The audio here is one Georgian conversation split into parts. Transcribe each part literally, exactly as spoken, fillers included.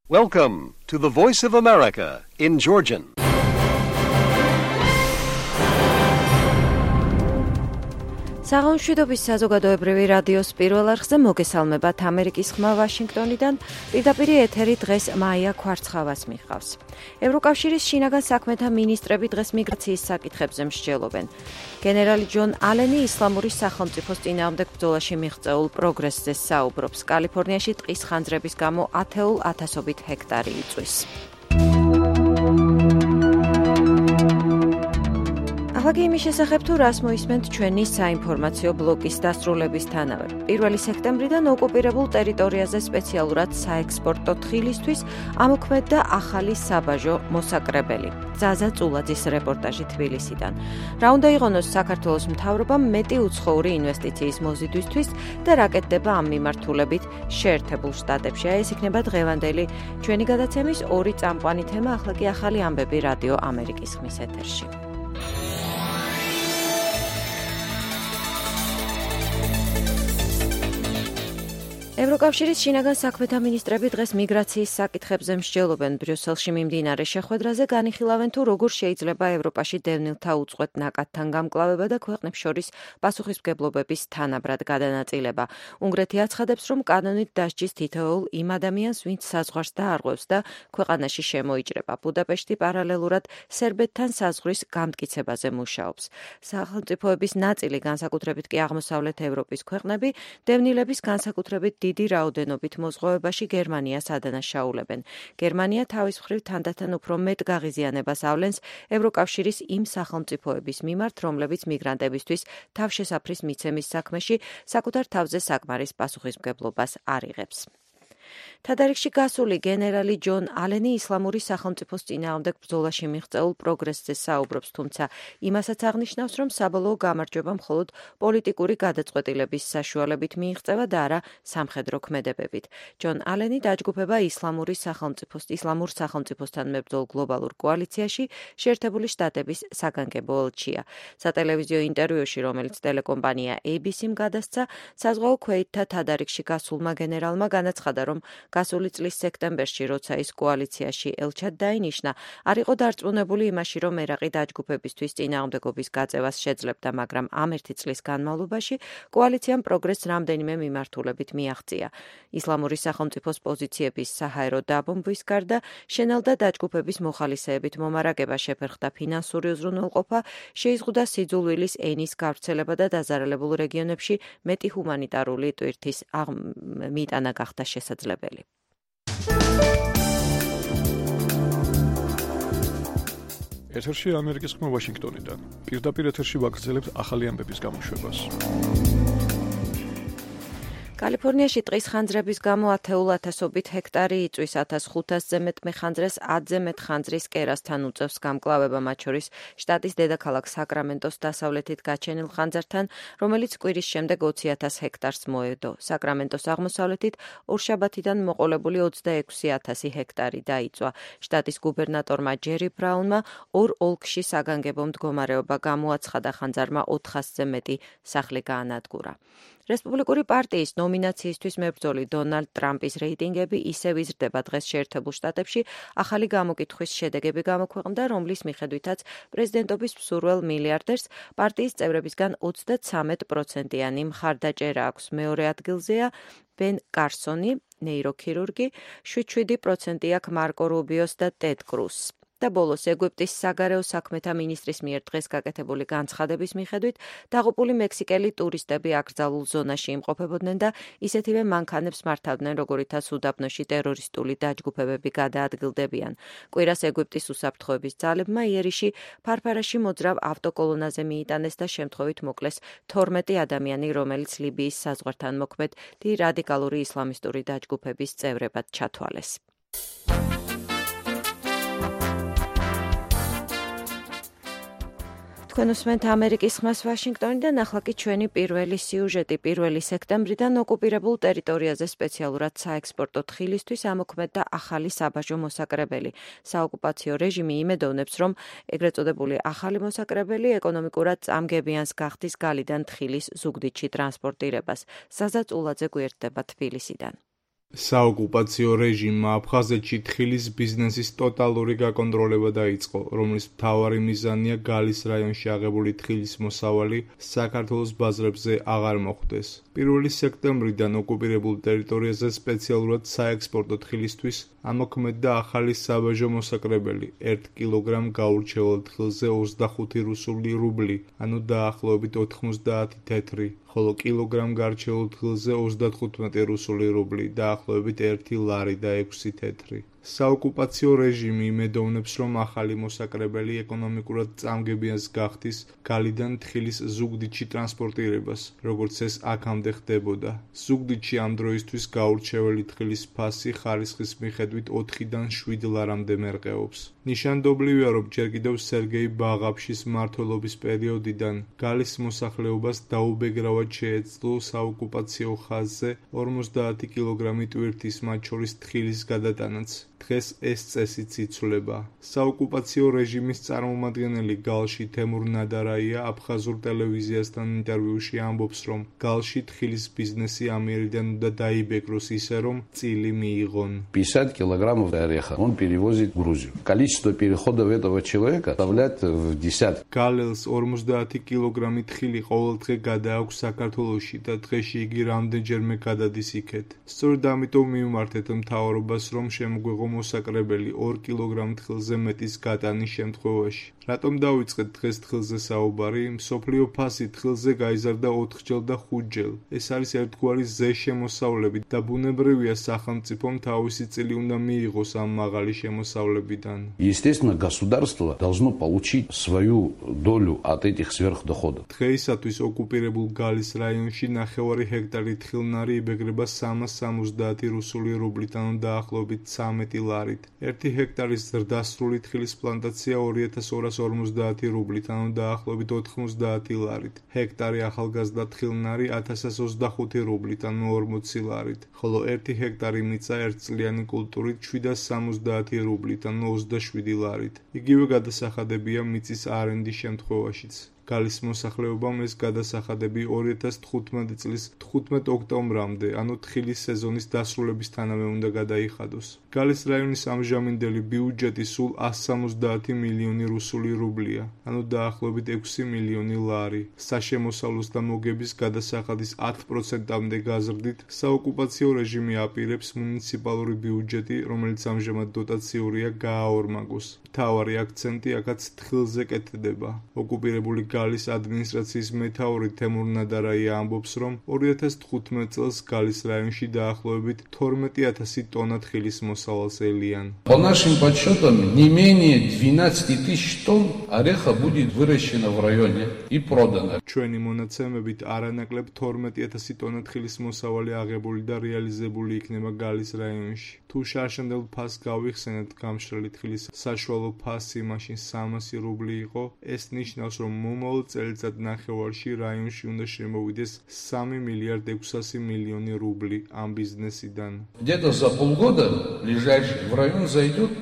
Welcome to the Voice of America in Georgian. საღამოშვიდობის საზოგადოებრივი რადიოს პირველ არხზე მოგესალმებათ ამერიკის ხმა ვაშინგტონიდან. პირდაპირ ეთერი დღეს მაია ქვარცხავას მიჰყავს. ევროკავშირის შინაგან საქმეთა მინისტრები დღეს მიგრაციის საკითხებზე მსჯელობენ. გენერალი ჯონ ალენი ისლამური სახელმწიფოს წინააღმდეგ ბრძოლაში მიღწეულ პროგრესზე საუბრობს. კალიფორნიაში ტყის ხანძრების გამო ათეულ ათასობით ჰექტარი იწვის. ახლა იმის შესახებ თუ რას მოისმენთ ჩვენი საინფორმაციო ბლოკის დასრულებისთანავე. პირველი სექტემბრიდან ოკუპირებულ ტერიტორიაზე სპეციალურად საექსპორტო თხილისთვის ამოქმედდა ახალი საბაჟო მოსაკრებელი. ზაზა წულაძის რეპორტაჟი თბილისიდან. რა უნდა იყონოს საქართველოს მთავრობამ მეტი უცხოური ინვესტიციის მოზიდვისთვის და რა კეთდება ამ მიმართულებით შეერთებულ შტატებში. ეს იქნება დღევანდელი ჩვენი გადაცემის ორი წამყვანი თემა. ახლა კი ახალი ამბები რადიო ამერიკის ხმის ეთერში. ევროკავშირის შინაგან საქმეთა მინისტრები დღეს მიგრაციის საკითხებზე მსჯელობენ. ბრიუსელში მიმდინარე შეხვედრაზე განიხილავენ თუ როგორ შეიძლება ევროპაში დევნილთა უწყვეტ ნაკადთან გამკლავება და ქვეყნებს შორის პასუხისმგებლობების თანაბრად გადანაწილება. უნგრეთი აცხადებს, რომ კანონით დასჯის თითოეულ იმ ადამიანს, ვინც საზღვარს დაარღვევს და ქვეყანაში შემოიჭრება. ბუდაპეშტი პარალელურად სერბეთთან საზღვრის გამტკიცებაზე მუშაობს. სახელმწიფოების ნაწილი, განსაკუთრებით კი აღმოსავლეთ ევროპის ქვეყნები, დევნილების განსაკუთრებით დიდი რაოდენობით მოზღვევებაში გერმანიას ადანაშაულებენ. გერმანია თავის მხრივ თანდათან უფრო მეტ გაღიზიანებას ავლენს ევროკავშირის იმ სახელმწიფოების მიმართ, რომლებიც მიგრანტებისთვის თავშესაფრის მიცემის საქმეში საკუთარ თავზე საკმარის პასუხისმგებლობას არ იღებს. თადარიგში გასული გენერალი ჯონ ალენი ისლამური სახელმწიფოს წინააღმდეგ ბრძოლაში მიღწეულ პროგრესზე საუბრობს, თუმცა იმასაც აღნიშნავს, რომ საბოლოო გამარჯვება მხოლოდ პოლიტიკური გადაწყვეტილების საშუალებით მიიღწევა და არა სამხედრო ქმედებებით. ჯონ ალენი დაჯგუფება ისლამური სახელმწიფოს ისლამურ სახელმწიფოსთან მებრძოლ გლობალურ კოალიციაში შეერთებული შტატების საგანგებო ელჩია. სატელევიზიო ინტერვიუში, რომელიც ტელეკომპანია έι ბი სი-მ გადასცა, საზღვაო ქვეითთა თადარიგში გასულმა გენერალმა განაცხადა, რომ გასული წლის სექტემბერში, როცა ის კოალიციაში ელჩად დაინიშნა, არ იყო დარწმუნებული იმაში, რომ ერაყი დაჯგუფებისთვის წინააღმდეგობის გაწევას შეძლებდა, მაგრამ ამ ერთი წლის განმავლობაში კოალიციამ პროგრესს რამდენიმე მიმართულებით მიაღწია. ისლამური სახელმწიფოს პოზიციების საჰაერო დაბომბვის გარდა, შენელდა დაჯგუფების მოხალისეებით მომარაგება, შეფერხდა ფინანსური უზრუნველყოფა, შეიზღუდა სიძულვილის ენის გავრცელება და დაზარალებულ რეგიონებში მეტი ჰუმანიტარული ტვირთის მიტანა გახდა შესაძლებელი. ეთერში ამერიკის ხმა ვაშინგტონიდან. პირდაპირ ეთერში ვაგრძელებთ ახალი ამბების გამოშვებას. კალიფორნიაში ტყის ხანძრების გამო ათეულ ათასობით ჰექტარი იწვის. ათას ხუთასზე მეტ მეხანძრეს ათზე მეტ ხანძრის კერასთან უწევს გამკლავება, მათ შორის შტატის დედაქალაქ საკრამენტოს დასავლეთით გაჩენილ ხანძართან, რომელიც კვირის შემდეგ ოცი ათას ჰექტარს მოედო. საკრამენტოს აღმოსავლეთით ორშაბათიდან მოყოლებული ოცდაექვსი ათასი ჰექტარი დაიწვა. შტატის გუბერნატორმა ჯერი ბრაუნმა ორ ოლქში საგანგებო მდგომარეობა გამოაცხადა, ხანძარმა ოთხასზე მეტი სახლი გაანადგურა. რესპუბლიკური პარტიის ნომინაციისთვის მებრძოლი დონალდ ტრამპის რეიტინგები ისევ იზრდება. დღეს შეერთებულ შტატებში ახალი გამოკითხვის შედეგები გამოქვეყნდა, რომლის მიხედვითაც პრეზიდენტობის მსურველ მილიარდერს პარტიის წევრებისგან ოცდაცამეტ პროცენტიანი მხარდაჭერა აქვს. მეორე ადგილზეა ბენ კარსონი, ნეიროქირურგი, შვიდ შვიდი პროცენტი აქვს მარკო რუბიოს და ტედ კრუსს. და ბოლოს ეგვიპტის საგარეო საქმეთა მინისტრის მიერ დღეს გაკეთებული განცხადების მიხედვით დაღუპული მექსიკელი ტურისტები აკრძალულ ზონაში იმყოფებოდნენ და ისეთივე მანქანებს მართავდნენ, როგორითაც უდაბნოში ტერორისტული დაჯგუფებები გადაადგილდებიან. კვირას ეგვიპტის უსაფრთხოების ძალებმა იერიში ფარფარაში მოძრავ ავტოკოლონაზე მიიტანეს და შემთხვევით მოკლეს თორმეტი ადამიანი, რომელიც ლიბიის საზღვართან მოქმედ რადიკალური ისლამისტური დაჯგუფების წევრებად ჩათვალეს. თქვენ უსმენთ ამერიკის ხმას ვაშინგტონიდან. ახლა კი ჩვენი პირველი სიუჟეტი. პირველი სექტემბრიდან ოკუპირებულ ტერიტორიაზე სპეციალურად საექსპორტო თხილისთვის ამოქმედდა ახალი საბაჟო მოსაკრებელი. საოკუპაციო რეჟიმი იმედოვნებს, რომ ეგრეთ წოდებული ახალი მოსაკრებელი ეკონომიკურად წამგებიანს გახდის გალიდან თხილის ზუგდიდში ტრანსპორტირებას. ზაზა წულაძე გვერდდება თბილისიდან. საოკუპაციო რეჟიმმა აფხაზეთში თხილის ბიზნესის ტოტალური გაკონტროლება დაიწყო, რომლის მთავარი მიზანია გალის რაიონში აღებული თხილის მოსავალი საქართველოს ბაზრებზე აღარ მოხვდეს. პირველი სექტემბრიდან ოკუპირებულ ტერიტორიაზე სპეციალურად საექსპორტო თხილისთვის ამოქმედდა ახალი საბაჟო მოსაკრებელი, ერთ კილოგრამ გაურჩეულ თხილზე ოცდახუთი რუსული რუბლი, ანუ დაახლოებით ოთხმოცდაათი თეთრი, ხოლო კილოგრამ გარჩეულ თხილზე ოცდათხუთმეტი რუსული რუბლი, დაახლოებით ერთი ლარი და ექვსი თეთრი. საოკუპაციო რეჟიმი იმედოვნებს, რომ ახალი მოსაკრებელი ეკონომიკურად წამგებიანს გახდის გალიდან თხილის ზუგდიდში ტრანსპორტირებას, როგორც ეს აქამდე ხდებოდა. ზუგდიდში ამ დროისთვის გაურჩეველი თხილის ფასი ხარისხის მიხედვით ოთხიდან შვიდ ლარამდე მერყეობს. ნიშანდობლივია, რომ ჯერ კიდევ სერგეი ბაღაფშის მმართველობის პერიოდიდან გალის მოსახლეობას დაუბეგრავად შეეძლო საოკუპაციო ხაზზე ორმოცდაათი კილოგრამი ტვირთის, მათ შორის თხილის გადატანაც. დღეს ეს წესიც იცვლება. საოკუპაციო რეჟიმის წარმომადგენელი გალში თემურ ნადარაია აფხაზურ ტელევიზიასთან ინტერვიუში ამბობს, რომ გალში თხილის ბიზნესი ამიერიდან უნდა დაიბეგროს ისე, რომ წილი მიიღონ. пятьдесят килограммов ореха он перевозит в Грузию. Количество переходов этого человека составляет в десятки. გალელს ორმოცდაათი კილოგრამი თხილი ყოველდღე გადააქვს საქართველოში და დღეში იგი რამდენჯერმე გადადის იქეთ. სწორედ ამიტომ მივმართეთ მთავრობას, რომ შემოგვეღო მოსაკრებელი ორ კილოგრამ თხილზე მეტის გატანის შემთხვევაში. რატომ დავიწყეთ დღეს თხილზე საუბარი? მსოფლიო ფასი თხილზე გაიზარდა ოთხჯერ და ხუთჯერ. ეს არის ერთგვარი ზეშემოსავლები და ბუნებრივია სახელმწიფომ თავისი წილი უნდა მიიღოს ამ მაღალი შემოსავლებიდან. Естественно, государство должно получить свою долю от этих сверхдоходов. დღეისათვის ოკუპირებულ გალის რაიონში ნახევარი ჰექტარი თხილნარი იბეგრება სამას სამოცდაათი რუსული რუბლით, ანუ დაახლოებით ცამეტი ლარით. ერთი ჰექტარის ზრდასრული თხილის პლანტაცია ორი ათას ორას ორმოცდაათი რუბლით, ანუ დაახლოებით ოთხმოცდაათი ლარით. ჰექტარი ახალგაზრდა თხილნარი ათასას ოცდახუთი რუბლით, ანუ ორმოცი ლარით, ხოლო ერთი ჰექტარი მიწა ერთწლიანი კულტურით შვიდას სამოცდაათი რუბლით, ანუ ოცდაშვიდი ლარით. იგივე გადასახადებია მიწის არენდის შემთხვევაშიც. გალის მოსახლეობამ ეს გადასახადები ორი ათას თხუთმეტი წლის თხუთმეტ ოქტომბრამდე, ანუ თხილის სეზონის დასრულებისთანავე უნდა გადაიხადოს. გალის რაიონის ამჟამინდელი ბიუჯეტი სულ ასს სამოცდაათი მილიონი რუსული რუბლია, ანუ დაახლოებით ექვსი მილიონი ლარი. საშემოსავლოს და მოგების გადასახადის ათ პროცენტამდე გაზრდით საოკუპაციო რეჟიმი აპირებს მუნიციპალური ბიუჯეტი, რომელიც ამჟამად დოტაციურია, გააორმაგოს. მთავარი აქცენტი აქაც თხილზე კეთდება. ოკუპირებული გალის ადმინისტრაციის მეთაური თემურ ნადარაია ამბობს, რომ ორი ათას თხუთმეტ წელს გალის რაიონში დაახლოებით თორმეტი ათასი ტონა თხილის მოსავალს ელიან. По нашим подсчетам, не менее двенадцати тысяч тонн ореха будет выращено в районе и продано. ჩვენი მონაცემებით არანაკლებ თორმეტი ათასი ტონა თხილის მოსავალი აღებული და რეალიზებული იქნება გალის რაიონში. თუ შარშანდელ ფასს გავიხსენებთ, გამშრალი თხილის საშუალო ფასი მაშინ სამასი რუბლი იყო, ეს ნიშნავს, რომ მომავალ წელიწად ნახევარში რაიონში უნდა შემოვიდეს სამი მილიარდ ექვსასი მილიონი რუბლი ამ ბიზნესიდან. Где-то за полгода ближайший в район зайдет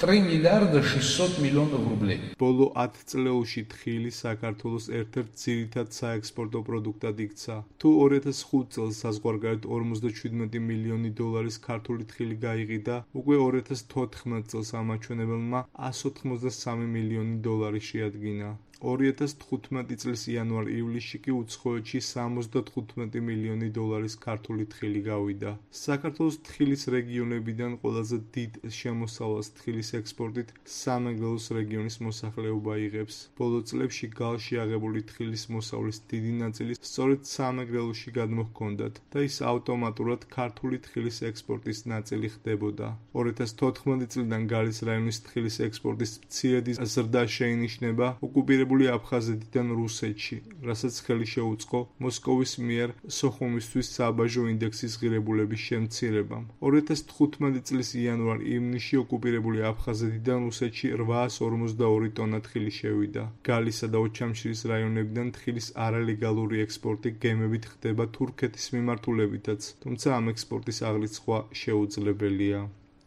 три миллиарда шестьсот миллионов рублей. ბოლო ათ წლეულში თხილი საქართველოს ერთ-ერთ ძირითად საექსპორტო პროდუქტად იქცა. თუ ორი ათას ხუთ წელს საზღვარგარეთ ორმოცდაშვიდმეტი მილიონი დოლარის ქართული თხილი გაიყიდა, უკვე ორი ათას თოთხმეტ წელს ამაჩვენებელმა ასს ოთხმოცდასამი მილიონი დოლარი შეადგინა. ორი ათას თხუთმეტი წლის იანვარ-ივლისში კი უცხოეთში სამოცდათხუთმეტი მილიონი დოლარის ქართული თხილი გავიდა. საქართველოს თხილის რეგიონებიდან ყველაზე დიდ შემოსავალს თხილის ექსპორტით სამეგრელოს რეგიონის მოსახლეობა იღებს. ბოლო წლებში გალში აღებული თხილის მოსავლის დიდი ნაწილი სწორედ სამეგრელოში გადმოჰქონდათ და ის ავტომატურად ქართული თხილის ექსპორტის ნაწილი ხდებოდა. ორი ათას თოთხმეტი წლიდან გალის რაიონის თხილის ექსპორტის მცირედი ზრდა შეინიშნება ოკუპირებულ აფხაზეთიდან რუსეთში, რასაც ხელი შეუწყო მოსკოვის მიერ სოხუმისთვის საბაჟო ინდექსის ღირებულების შემცირებამ. ორი ათას თხუთმეტი წლის იანვარ-ივნისში ოკუპირებული აფხაზეთიდან რუსეთში რვაას ორმოცდაორი ტონა თხილი შევიდა. გალისა და ოჩამშირის რაიონებიდან თხილის არალეგალური ექსპორტი გემებით ხდება თურქეთის მიმართულებითაც, თუმცა ამ ექსპორტის აღრიცხვა შეუძლებელია.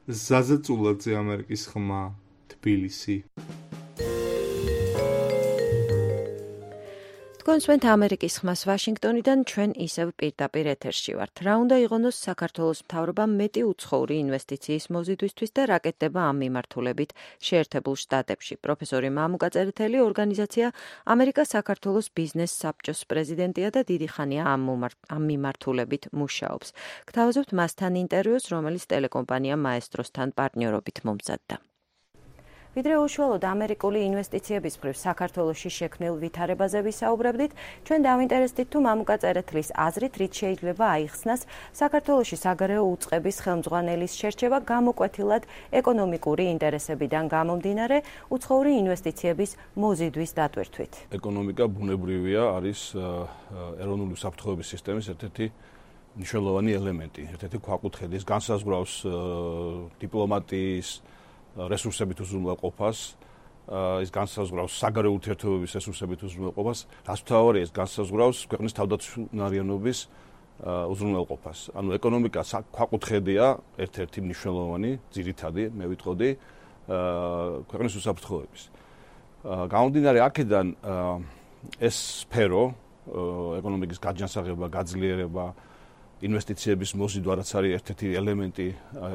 ზაზა წულაძე, ამერიკის ხმა, თბილისი. მოგესალმებით ამერიკის ხმას ვაშინგტონიდან ჩვენ ისევ პირდაპირ ეთერში ვართ. რა უნდა იღონოს საქართველოს მთავრობამ მეტი უცხოური ინვესტიციის მოზიდვისთვის და რა კეთდება ამ მიმართულებით შეერთებულ შტატებში. პროფესორი მამუკა წერეთელი ორგანიზაცია ამერიკა-საქართველოს ბიზნეს საბჭოს პრეზიდენტია და დიდი ხანია ამ მიმართულებით მუშაობს. გთავაზობთ მასთან ინტერვიუს, რომელიც ტელეკომპანია მაესტროსთან პარტნიორობით მომზადდა. ვიდრე უშუალოდ ამერიკული ინვესტიციების მხრივ საქართველოში შექმნილ ვითარებაზე ვისაუბრებდით, ჩვენ დავინტერესდით თუ მამუკა წერეთლის აზრით რით შეიძლება აიხსნას საქართველოში საგარეო უწყების ხელმძღვანელის შერჩევა გამოკვეთილად ეკონომიკური ინტერესებიდან გამომდინარე უცხოური ინვესტიციების მოზიდვის დატვირთვით. ეკონომიკა ბუნებრივია, არის ეროვნული საფრთხეების სისტემის ერთ-ერთი მნიშვნელოვანი ელემენტი, ერთ-ერთი ქვაკუთხედი, ის განსაზღვრავს დიპლომატიის რესურსებით უზრუნველყოფას, ის განსაზღვრავს საგარეო ურთიერთობების რესურსებით უზრუნველყოფას, რაც მთავარია, ის განსაზღვრავს ქვეყნის თავდაცვნარიანობის უზრუნველყოფას. ანუ ეკონომიკა ქვაკუთხედია, ერთ-ერთი მნიშვნელოვანი, ძირითადი, მე ვიტყოდი, ქვეყნის უსაფრთხოების. გამომდინარე აქედან ეს სფერო, ეკონომიკის გაჯანსაღება, გაძლიერება, ინვესტიციების მოზიდვა, რაც არის ერთ-ერთი ელემენტი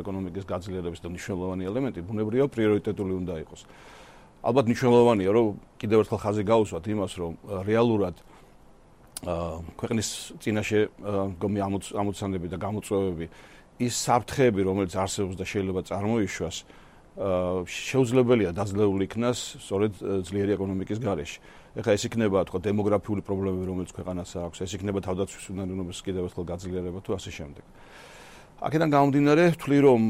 ეკონომიკის გაძლიერების და მნიშვნელოვანი ელემენტი, ბუნებრივია პრიორიტეტული უნდა იყოს. ალბათ მნიშვნელოვანია, რომ კიდევ ერთხელ ხაზი გაუსვათ იმას, რომ რეალურად ქვეყნის წინაშე მდგომი ამოცანები და გამოწვევები, ის საფრთხეები, რომელიც არსებობს და შეიძლება წარმოიშვას, შეუძლებელია დაძლეული იქნას სწორედ ძლიერი ეკონომიკის გარეშე. ეხლა ეს იქნება თქო დემოგრაფიული პრობლემები, რომელიც ქვეყანას აქვს, ეს იქნება თავდაცვის უნარიანობის კიდევ ერთხელ გაძლიერება თუ ასე შემდეგ. აქედან გამომდინარე, ვთვლი რომ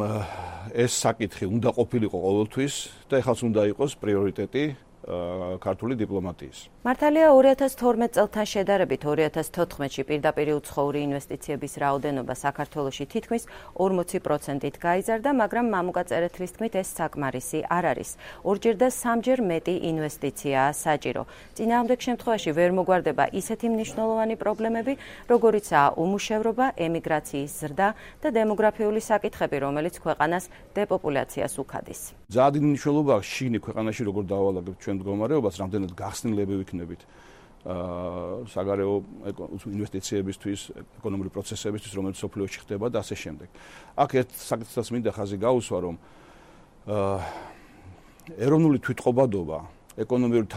ეს საკითხი უნდა ყოფილიყო ყოველთვის და ეხლაც უნდა იყოს პრიორიტეტი ქართული დიპლომატიის. მართალია ორი ათას თორმეტ წელთან შედარებით ორი ათას თოთხმეტში პირდაპირ უცხოური ინვესტიციების რაოდენობა საქართველოში თითქმის ორმოცი პროცენტით გაიზარდა, მაგრამ მამუკა წერეთლის თქმით ეს საკმარისი არ არის. ორჯერ და სამჯერ მეტი ინვესტიციაა საჭირო. წინააღმდეგ შემთხვევაში ვერ მოგვარდება ისეთი მნიშვნელოვანი პრობლემები, როგორიცაა უმუშევრობა, ემიგრაციის ზრდა და დემოგრაფიული საკითხები, რომელიც ქვეყანას დეპოპულაციას უქადის. ძალიან დიდი მნიშვნელობა აქვს შიგნით ქვეყანაში როგორ დავალაგებთ ჩვენ მდგომარეობას, რამდენად გახსნილები ვიქნებით საგარეო ინვესტიციებისთვის, ეკონომიკური პროცესებისთვის, რომელიც სოფლიოში ხდება და ასე შემდეგ. აქ ერთ საკითხსაც მინდა ხაზი გაუსვა, რომ ეროვნული თვითყობადობა, ეკონომიკური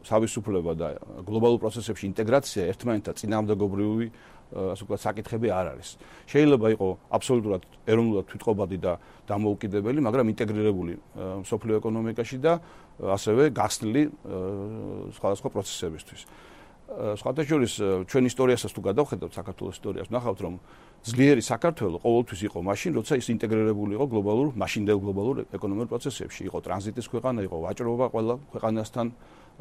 თავისუფლება და გლობალურ პროცესებში ინტეგრაცია ერთმანეთთან წინააღმდეგობრივი ასე ვთქვათ, საკითხები არ არის. შეიძლება იყოს აბსოლუტურად ეროვნულად თვითყობადი და დამოუკიდებელი, მაგრამ ინტეგრირებული სოფლიო ეკონომიკაში და ასევე გახსნილი სხვადასხვა პროცესებისთვის. სხვათა შორის ჩვენ ისტორიასაც თუ გადავხედავთ, საქართველოს ისტორიას, ვნახავთ, რომ ძლიერი საქართველო ყოველთვის იყო მაშინ, როცა ის ინტეგრირებული იყო გლობალურ, მაშინდელ გლობალურ ეკონომიკურ პროცესებში. იყო ტრანზიტის ქვეყანა, იყო ვაჭრობა ყველა ქვეყანასთან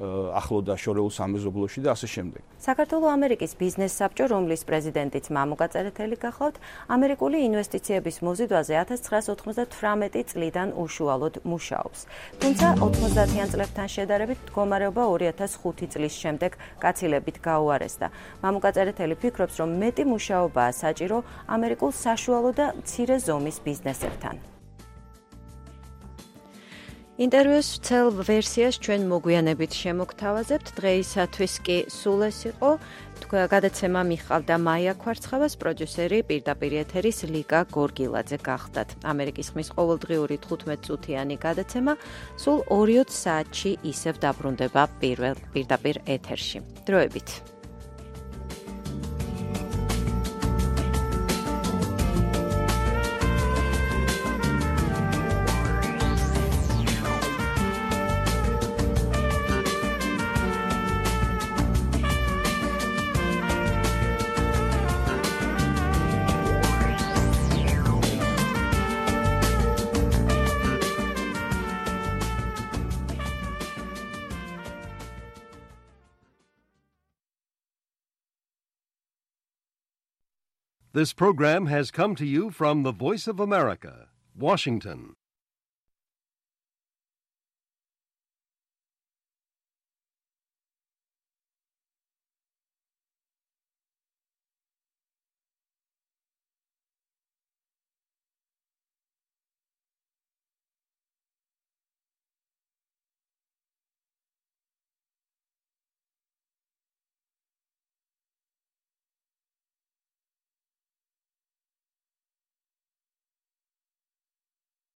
ახლო და შორეულ სამეზობლოში და ასე შემდეგ. საქართველო-ამერიკის ბიზნეს საბჭო, რომლის პრეზიდენტიც მამუკა წერეთელი გახლავთ, ამერიკული ინვესტიციების მოზიდვაზე ათას ცხრაას ოცდათვრამეტი წლიდან უშუალოდ მუშაობს. თუმცა ოცდაათიან წლებთან შედარებით მდგომარეობა ორი ათას ხუთი წლის შემდეგ გაცილებით გაუარესდა. მამუკა წერეთელი ფიქრობს, რომ მეტი მუშაობაა საჭირო ამერიკულ საშუალო და მცირე ზომის ბიზნესებთან. ინტერვიუს ცელ ვერსიას ჩვენ მოგვიანებით შემოგთავაზებთ. დღეისათვის კი სულ ეს იყო. გადაცემა მიჰყავდა მაია ქვარცხავას, პროდიუსერი პირდაპირ ეთერის ლიკა გორგილაძე გახდათ. ამერიკის ხმის ყოველდღიური თხუთმეტწუთიანი გადაცემა სულ ორი საათში ისევ დაბრუნდება პირველ პირდაპირ ეთერში. დროებით. This program has come to you from the Voice of America, Washington.